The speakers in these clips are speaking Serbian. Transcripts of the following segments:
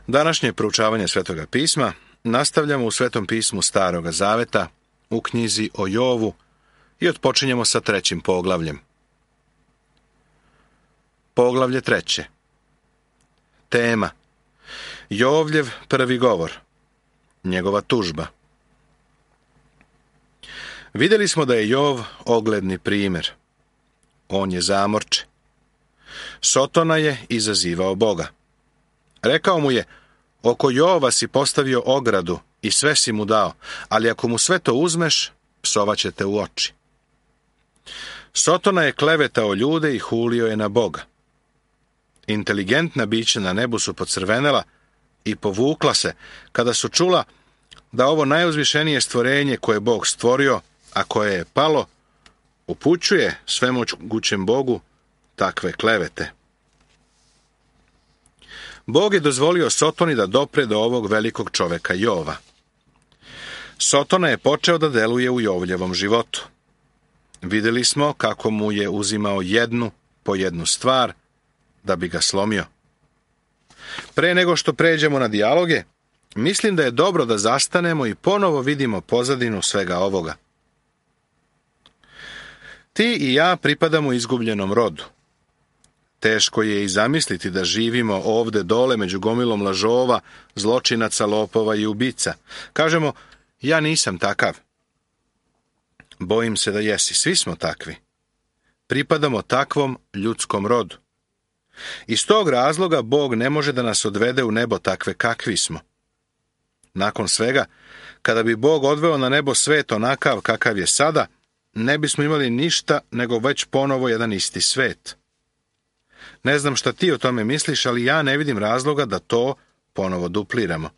Današnje proučavanje Svetoga pisma nastavljamo u Svetom pismu Staroga zaveta, u knjizi o Jovu i otpočinjemo sa 3. poglavljem. Poglavlje 3. Tema: Jovljev prvi govor, njegova tužba. Vidjeli smo da je Jov ogledni primjer. On je zamorče. Sotona je izazivao Boga. Rekao mu je: oko Jova si postavio ogradu i sve si mu dao, ali ako mu sve to uzmeš, psovaće te u oči. Sotona je klevetao ljude i hulio je na Boga. Inteligentna bića na nebu su pocrvenela i povukla se kada su čula da ovo najuzvišenije stvorenje koje je Bog stvorio, a koje je palo, upućuje svemogućem Bogu takve klevete. Bog je dozvolio Sotoni da dopre do ovog velikog čoveka Jova. Sotona je počeo da deluje u Jovljevom životu. Vidjeli smo kako mu je uzimao jednu po jednu stvar da bi ga slomio. Pre nego što pređemo na dijaloge, mislim da je dobro da zastanemo i ponovo vidimo pozadinu svega ovoga. Ti i ja pripadamo izgubljenom rodu. Teško je i zamisliti da živimo ovde dole među gomilom lažova, zločinaca, lopova i ubica. Kažemo: ja nisam takav. Bojim se da jesi, svi smo takvi. Pripadamo takvom ljudskom rodu. Iz tog razloga Bog ne može da nas odvede u nebo takve kakvi smo. Nakon svega, kada bi Bog odveo na nebo svet onakav kakav je sada, ne bismo imali ništa nego već ponovo jedan isti svet. Ne znam šta ti o tome misliš, ali ja ne vidim razloga da to ponovo dupliramo.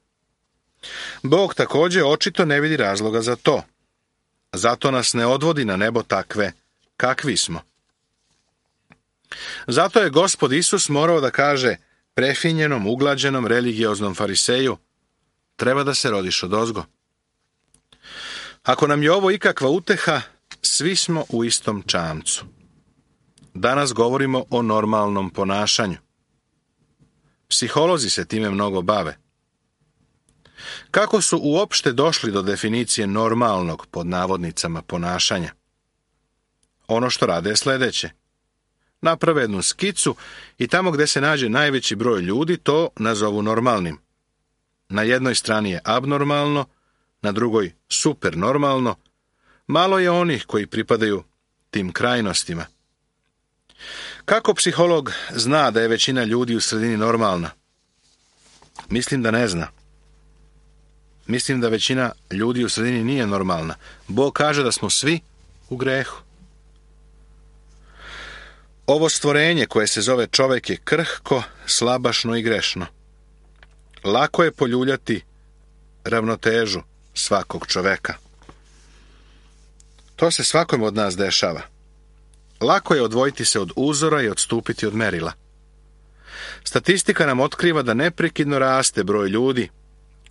Bog također očito ne vidi razloga za to. Zato nas ne odvodi na nebo takve kakvi smo. Zato je Gospod Isus morao da kaže prefinjenom, uglađenom, religioznom fariseju: treba da se rodiš odozgo. Ako nam je ovo ikakva uteha, svi smo u istom čamcu. Danas govorimo o normalnom ponašanju. Psiholozi se time mnogo bave. Kako su uopšte došli do definicije normalnog, pod navodnicama, ponašanja? Ono što rade je sljedeće. Naprave jednu skicu i tamo gdje se nađe najveći broj ljudi to nazovu normalnim. Na jednoj strani je abnormalno, na drugoj supernormalno. Malo je onih koji pripadaju tim krajnostima. Kako psiholog zna da je većina ljudi u sredini normalna? Mislim da ne zna. Mislim da većina ljudi u sredini nije normalna. Bog kaže da smo svi u grehu. Ovo stvorenje koje se zove čovjek je krhko, slabašno i grešno. Lako je poljuljati ravnotežu svakog čoveka. To se svakom od nas dešava. Lako je odvojiti se od uzora i odstupiti od merila. Statistika nam otkriva da neprekidno raste broj ljudi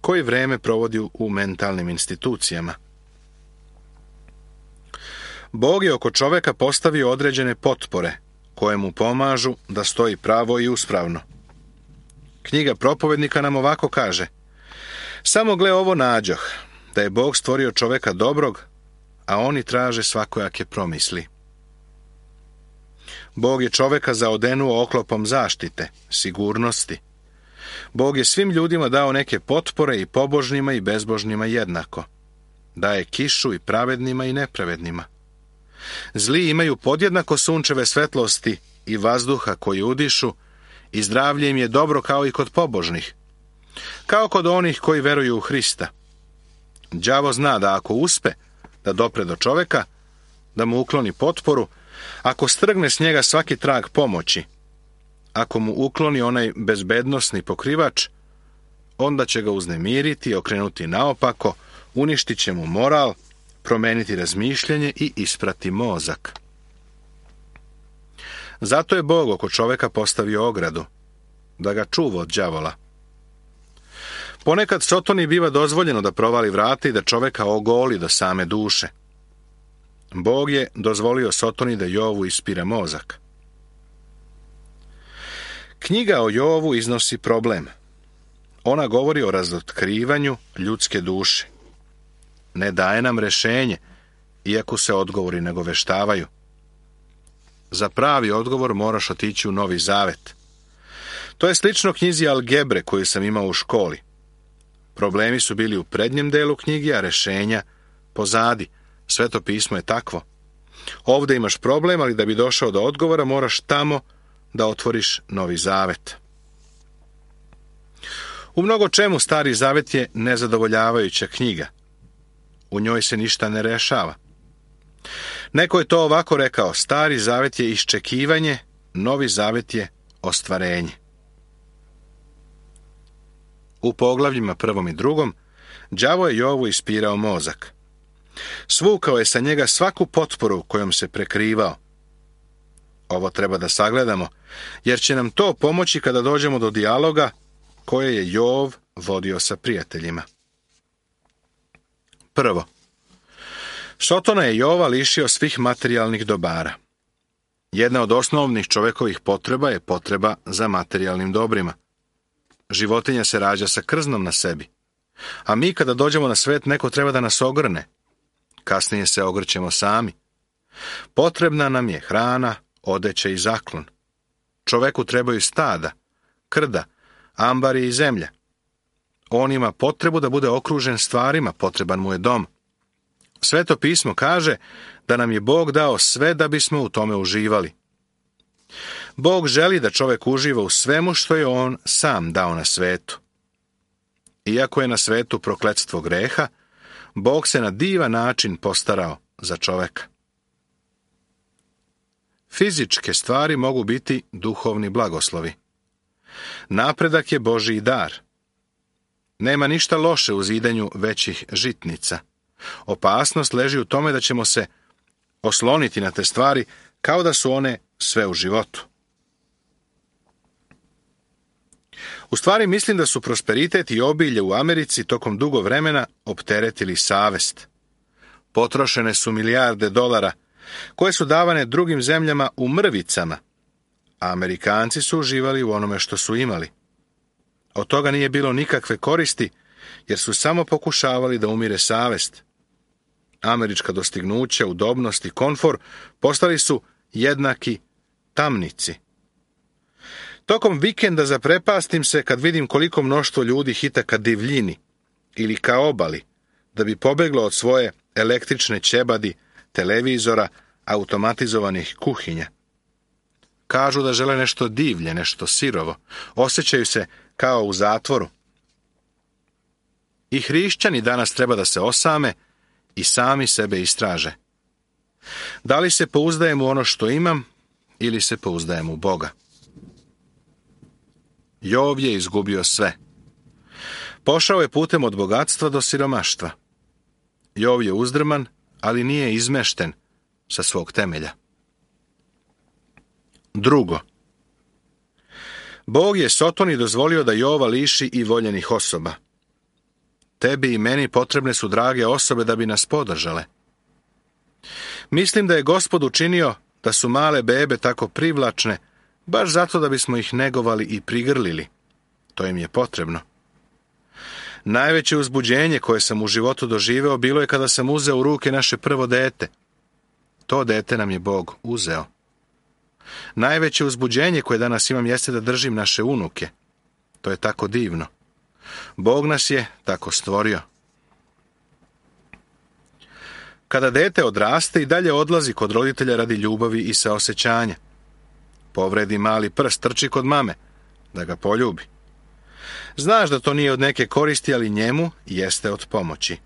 koji vreme provodi u mentalnim institucijama. Bog je oko čoveka postavio određene potpore koje mu pomažu da stoji pravo i uspravno. Knjiga Propovednika nam ovako kaže: samo gle ovo nađoh, da je Bog stvorio čoveka dobrog, a oni traže svakojake promisli. Bog je čoveka zaodenuo oklopom zaštite, sigurnosti. Bog je svim ljudima dao neke potpore, i pobožnima i bezbožnima jednako. Daje kišu i pravednima i nepravednima. Zli imaju podjednako sunčeve svetlosti i vazduha koji udišu, i zdravlje im je dobro kao i kod pobožnih, kao kod onih koji veruju u Hrista. Đavo zna da ako uspe da dopre do čoveka, da mu ukloni potporu, ako strgne s njega svaki trag pomoći, ako mu ukloni onaj bezbednosni pokrivač, onda će ga uznemiriti, okrenuti naopako, uništit će mu moral, promeniti razmišljanje i isprati mozak. Zato je Bog oko čoveka postavio ogradu, da ga čuva od đavola. Ponekad Sotoni biva dozvoljeno da provali vrata i da čoveka ogoli do same duše. Bog je dozvolio Sotoni da Jovu ispira mozak. Knjiga o Jovu iznosi problem. Ona govori o razotkrivanju ljudske duše. Ne daje nam rješenje, iako se odgovori ne goveštavaju. Za pravi odgovor moraš otići u Novi Zavet. To je slično knjizi algebre koju sam imao u školi. Problemi su bili u prednjem delu knjige, a rješenja pozadi. Sveto pismo je takvo. Ovdje imaš problem, ali da bi došao do odgovora moraš tamo da otvoriš Novi Zavet. U mnogo čemu Stari Zavet je nezadovoljavajuća knjiga. U njoj se ništa ne rešava. Neko je to ovako rekao: Stari Zavet je iščekivanje, Novi Zavet je ostvarenje. U poglavljima 1. i 2. đavo je Jovu ispirao mozak. Svukao je sa njega svaku potporu kojom se prekrivao. Ovo treba da sagledamo, jer će nam to pomoći kada dođemo do dijaloga koje je Jov vodio sa prijateljima. Prvo, Sotona je Jova lišio svih materijalnih dobara. Jedna od osnovnih čovekovih potreba je potreba za materijalnim dobrima. Životinja se rađa sa krznom na sebi, a mi kada dođemo na svet neko treba da nas ogrne. Kasnije se ogrćemo sami. Potrebna nam je hrana, odeća i zaklon. Čoveku trebaju stada, krda, ambari i zemlja. On ima potrebu da bude okružen stvarima, potreban mu je dom. Sveto pismo kaže da nam je Bog dao sve da bismo u tome uživali. Bog želi da čovek uživa u svemu što je on sam dao na svetu. Iako je na svetu prokletstvo greha, Bog se na divan način postarao za čoveka. Fizičke stvari mogu biti duhovni blagoslovi. Napredak je Božji dar. Nema ništa loše u zidanju većih žitnica. Opasnost leži u tome da ćemo se osloniti na te stvari kao da su one sve u životu. U stvari mislim da su prosperitet i obilje u Americi tokom dugo vremena opteretili savest. Potrošene su milijarde dolara koje su davane drugim zemljama u mrvicama, a Amerikanci su uživali u onome što su imali. Od toga nije bilo nikakve koristi, jer su samo pokušavali da umire savest. Američka dostignuća, udobnost i komfor postali su jednaki tamnici. Tokom vikenda zaprepastim se kad vidim koliko mnoštvo ljudi hita ka divljini ili ka obali, da bi pobeglo od svoje električne ćebadi, televizora, automatizovanih kuhinja. Kažu da žele nešto divlje, nešto sirovo. Osjećaju se kao u zatvoru. I hrišćani danas treba da se osame i sami sebe istraže. Da li se pouzdajem u ono što imam ili se pouzdajem u Boga? Jov je izgubio sve. Pošao je putem od bogatstva do siromaštva. Jov je uzdrman, ali nije izmešten sa svog temelja. Drugo, Bog je Sotoni dozvolio da Jova liši i voljenih osoba. Tebi i meni potrebne su drage osobe da bi nas podržale. Mislim da je Gospod učinio da su male bebe tako privlačne, baš zato da bismo ih negovali i prigrlili. To im je potrebno. Najveće uzbuđenje koje sam u životu doživeo bilo je kada sam uzeo u ruke naše prvo dete. To dete nam je Bog uzeo. Najveće uzbuđenje koje danas imam jeste da držim naše unuke. To je tako divno. Bog nas je tako stvorio. Kada dete odraste i dalje odlazi kod roditelja radi ljubavi i saosećanja. Povredi mali prst, trči kod mame, da ga poljubi. Znaš da to nije od neke koristi, ali njemu jeste od pomoći.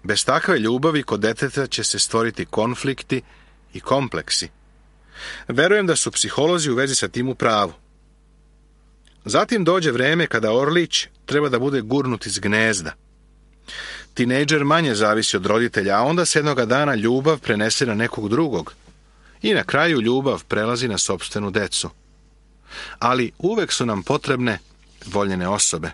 Bez takve ljubavi kod deteta će se stvoriti konflikti i kompleksi. Verujem da su psiholozi u vezi sa tim u pravu. Zatim dođe vreme kada orlić treba da bude gurnut iz gnezda. Tinejdžer manje zavisi od roditelja, a onda se jednoga dana ljubav prenese na nekog drugog. I na kraju ljubav prelazi na sopstvenu decu. Ali uvek su nam potrebne voljene osobe.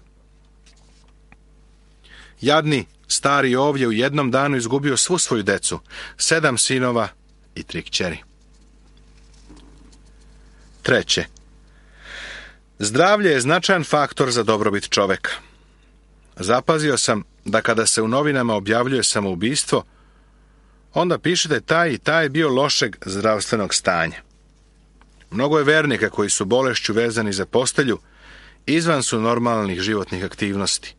Jadni stari Jov je u jednom danu izgubio svu svoju decu, 7 sinova i 3 kćeri. Treće, Zdravlje je značajan faktor za dobrobit čoveka. Zapazio sam da kada se u novinama objavljuje samoubistvo, onda piše da je taj i taj bio lošeg zdravstvenog stanja. Mnogo je vernika koji su bolešću vezani za postelju, izvan su normalnih životnih aktivnosti.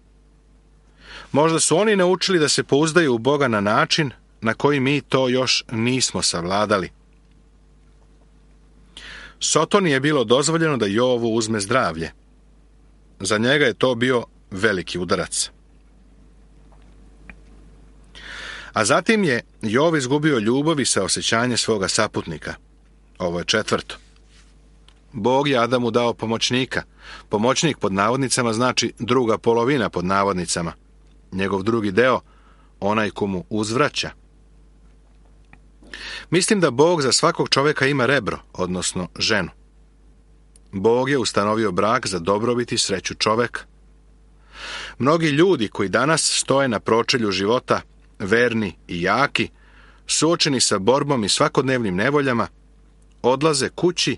Možda su oni naučili da se pouzdaju u Boga na način na koji mi to još nismo savladali. Sotoni je bilo dozvoljeno da Jovu uzme zdravlje. Za njega je to bio veliki udarac. A zatim je Jov izgubio ljubav i saosjećanje svoga saputnika. Ovo je četvrto. Bog je Adamu dao pomoćnika. Pomoćnik pod navodnicama znači druga polovina pod navodnicama. Njegov drugi deo, onaj ko mu uzvraća. Mislim da Bog za svakog čovjeka ima rebro, odnosno ženu. Bog je ustanovio brak za dobrobit i sreću čoveka. Mnogi ljudi koji danas stoje na pročelju života, verni i jaki, suočeni sa borbom i svakodnevnim nevoljama, odlaze kući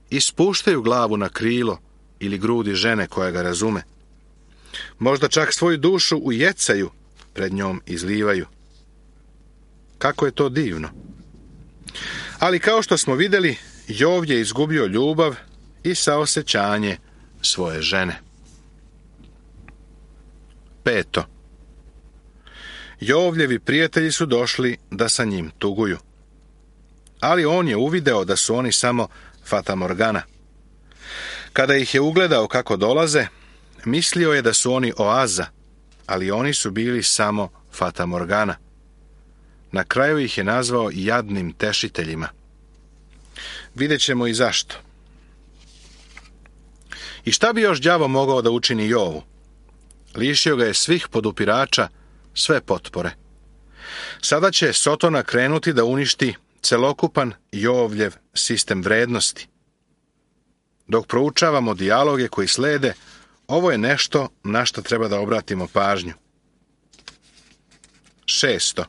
i spuštaju glavu na krilo ili grudi žene koja ga razume. Možda čak svoju dušu ujecaju, pred njom izlivaju. Kako je to divno! Ali kao što smo vidjeli, Jov je izgubio ljubav i saosjećanje svoje žene. 5. Jovljevi prijatelji su došli da sa njim tuguju. Ali on je uvideo da su oni samo fatamorgana. Kada ih je ugledao kako dolaze, mislio je da su oni oaza, ali oni su bili samo fatamorgana. Na kraju ih je nazvao jadnim tešiteljima. Vidjet ćemo i zašto. I šta bi još đavo mogao da učini Jovu? Lišio ga je svih podupirača, sve potpore. Sada će Sotona krenuti da uništi celokupan Jovljev sistem vrednosti. Dok proučavamo dijaloge koji slede, ovo je nešto na što treba da obratimo pažnju. 6.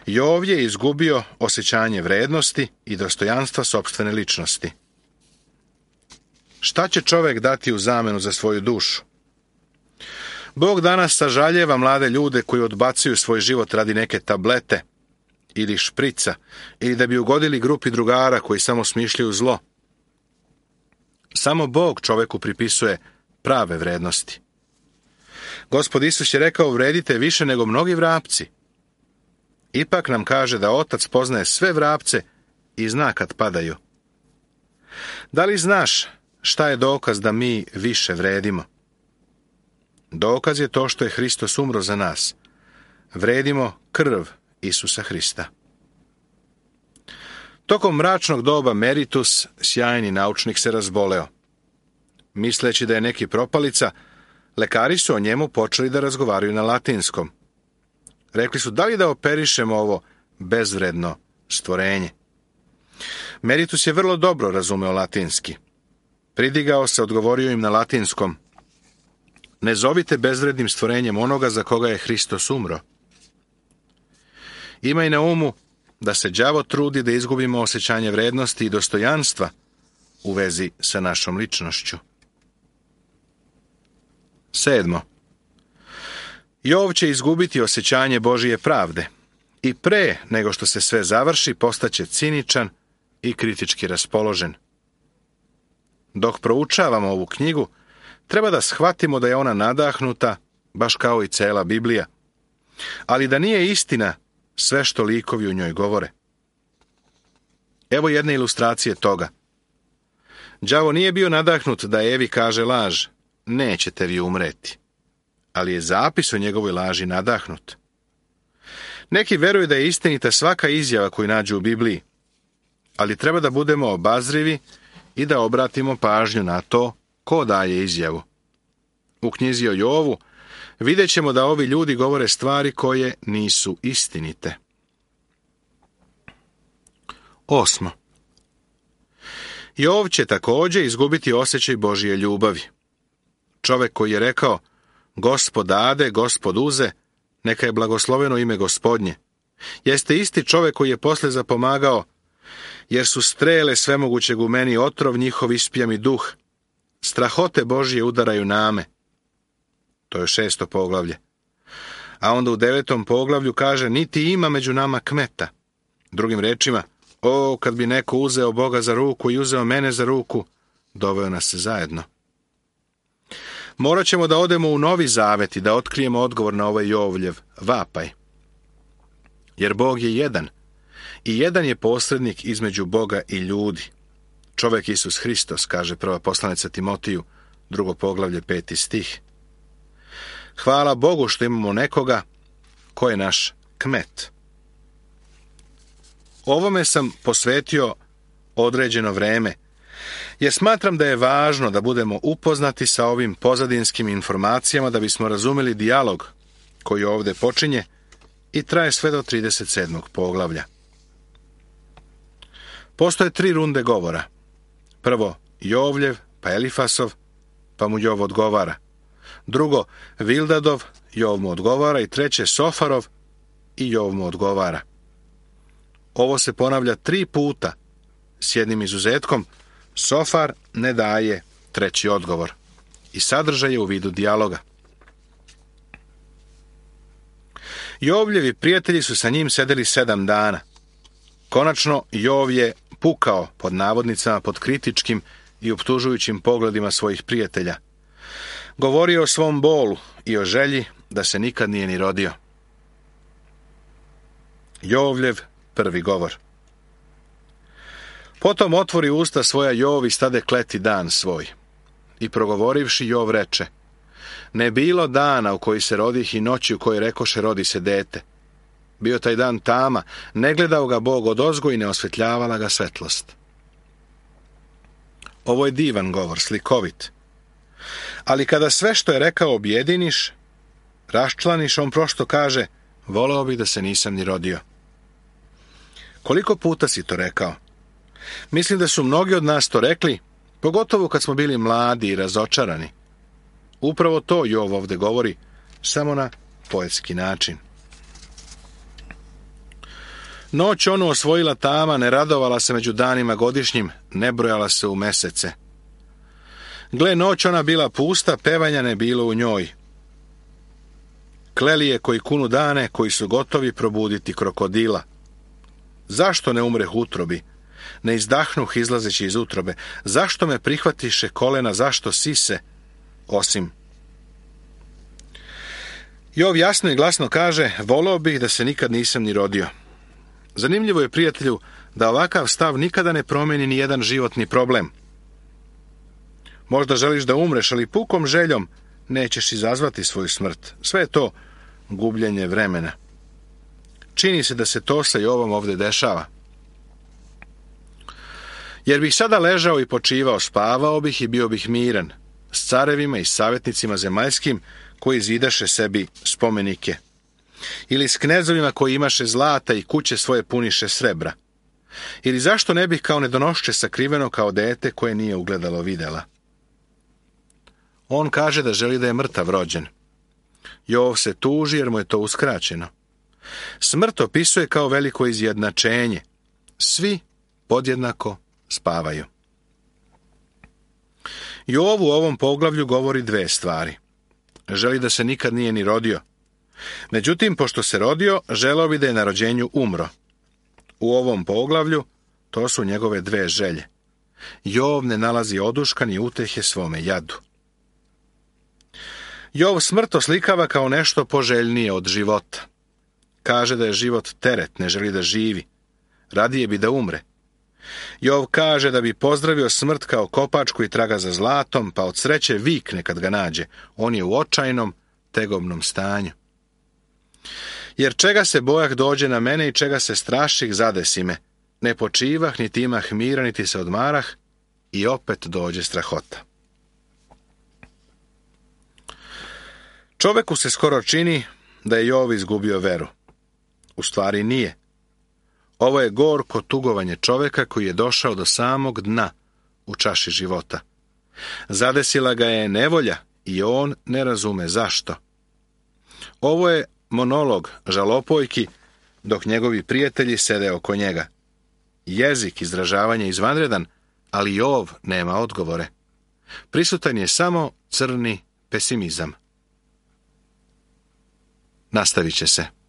Jov je izgubio osjećanje vrednosti i dostojanstva sopstvene ličnosti. Šta će čovjek dati u zamenu za svoju dušu? Bog danas sažaljeva mlade ljude koji odbacuju svoj život radi neke tablete ili šprica ili da bi ugodili grupi drugara koji samo smišljaju zlo. Samo Bog čovjeku pripisuje prave vrednosti. Gospod Isus je rekao: vredite više nego mnogi vrapci. Ipak nam kaže da Otac poznaje sve vrapce i zna kad padaju. Da li znaš šta je dokaz da mi više vredimo? Dokaz je to što je Hristos umro za nas. Vredimo krv Isusa Hrista. Tokom mračnog doba Meritus, sjajni naučnik, se razboleo. Misleći da je neki propalica, lekari su o njemu počeli da razgovaraju na latinskom. Rekli su: da li da operišemo ovo bezvredno stvorenje? Meritus je vrlo dobro razumeo latinski. Pridigao se, odgovorio im na latinskom: ne zovite bezvrednim stvorenjem onoga za koga je Hristos umro. Imaj na umu da se đavo trudi da izgubimo osjećanje vrednosti i dostojanstva u vezi sa našom ličnošću. 7. Jov će izgubiti osjećanje Božije pravde i pre nego što se sve završi postaće ciničan i kritički raspoložen. Dok proučavamo ovu knjigu, treba da shvatimo da je ona nadahnuta, baš kao i cela Biblija, ali da nije istina sve što likovi u njoj govore. Evo jedne ilustracije toga. Đavo nije bio nadahnut da Evi kaže laž: nećete vi umreti. Ali je zapis o njegovoj laži nadahnut. Neki veruju da je istinita svaka izjava koju nađu u Bibliji, ali treba da budemo obazrivi i da obratimo pažnju na to ko daje izjavu. U knjizi o Jovu vidjet ćemo da ovi ljudi govore stvari koje nisu istinite. 8. Jov će također izgubiti osjećaj Božije ljubavi. Čovjek koji je rekao: Gospod dade, Gospod uze, neka je blagosloveno ime Gospodnje, jeste isti čovjek koji je posle zapomagao: jer su strele svemogućeg u meni, otrov njihov ispija mi duh, strahote Božje udaraju name. To je 6. poglavlje. A onda u 9. poglavlju kaže, niti ima među nama kmeta. Drugim rečima, kad bi neko uzeo Boga za ruku i uzeo mene za ruku, doveo nas se zajedno. Morat ćemo da odemo u Novi Zavet i da otkrijemo odgovor na ovaj Jovljev vapaj. Jer Bog je jedan i jedan je posrednik između Boga i ljudi. Čovek Isus Hristos, kaže prva poslanica Timotiju, 2. poglavlje, 5. stih. Hvala Bogu što imamo nekoga ko je naš kmet. Ovome sam posvetio određeno vreme, jer smatram da je važno da budemo upoznati sa ovim pozadinskim informacijama da bismo razumeli dijalog koji ovdje počinje i traje sve do 37. poglavlja. Postoje 3 runde govora. Prvo Jovljev, pa Elifasov, pa mu Jov odgovara. Drugo Vildadov, Jov mu odgovara i treće Sofarov i Jov mu odgovara. Ovo se ponavlja 3 puta, s jednim izuzetkom, Sofar ne daje treći odgovor i sadržaj je u vidu dijaloga. Jovljevi prijatelji su sa njim sedeli 7 dana. Konačno Jov je pukao, pod navodnicama, pod kritičkim i optužujućim pogledima svojih prijatelja. Govorio o svom bolu i o želji da se nikad nije ni rodio. Jovljev prvi govor. Potom otvori usta svoja Jov i stade kleti dan svoj. I progovorivši Jov reče, ne bilo dana u koji se rodih i noći u kojoj rekoše rodi se dete. Bio taj dan tama, ne gledao ga Bog odozgo i ne osvetljavala ga svetlost. Ovo je divan govor, slikovit. Ali kada sve što je rekao objediniš, raščlaniš, on prosto kaže, voleo bih da se nisam ni rodio. Koliko puta si to rekao? Mislim da su mnogi od nas to rekli, pogotovo kad smo bili mladi i razočarani. Upravo to Jov ovdje govori, samo na poetski način. Noć onu osvojila tama, ne radovala se među danima godišnjim, ne brojala se u mesece. Gle, noć ona bila pusta, pevanja ne bilo u njoj. Kleli je koji kunu dane, koji su gotovi probuditi krokodila. Zašto ne umreh utrobi? Ne izdahnuh izlazeći iz utrobe. Zašto me prihvatiše kolena, zašto sise? Osim. Jov jasno i glasno kaže, voleo bih da se nikad nisam ni rodio. Zanimljivo je, prijatelju, da ovakav stav nikada ne promijeni ni jedan životni problem. Možda želiš da umreš, ali pukom željom nećeš izazvati svoju smrt. Sve je to gubljenje vremena. Čini se da se to sa Jovom ovdje dešava. Jer bih sada ležao i počivao, spavao bih i bio bih miran, s carevima i savjetnicima zemaljskim koji zidaše sebi spomenike. Ili s knezovima koji imaše zlata i kuće svoje puniše srebra. Ili zašto ne bih kao nedonošče sakriveno kao dete koje nije ugledalo videla. On kaže da želi da je mrtav rođen. Jov se tuži jer mu je to uskraćeno. Smrt opisuje kao veliko izjednačenje. Svi podjednako spavaju. Jov u ovom poglavlju govori 2 stvari. Želi da se nikad nije ni rodio. Međutim, pošto se rodio, želeo bi da je na rođenju umro. U ovom poglavlju to su njegove 2 želje. Jov ne nalazi oduška ni utehe svome jadu. Jov smrt oslikava kao nešto poželjnije od života. Kaže da je život teret, ne želi da živi. Radije bi da umre. Jov kaže da bi pozdravio smrt kao kopač koji traga za zlatom, pa od sreće vikne kad ga nađe. On je u očajnom, tegobnom stanju. Jer čega se bojah dođe na mene i čega se straših zadesi me. Ne počivah, niti imah mira, niti se odmarah i opet dođe strahota. Čoveku se skoro čini da je Jov izgubio veru. U stvari nije. Ovo je gorko tugovanje čoveka koji je došao do samog dna u čaši života. Zadesila ga je nevolja i on ne razume zašto. Ovo je monolog žalopojki dok njegovi prijatelji sede oko njega. Jezik izražavanja izvanredan, ali Jov nema odgovore. Prisutan je samo crni pesimizam. Nastavit će se.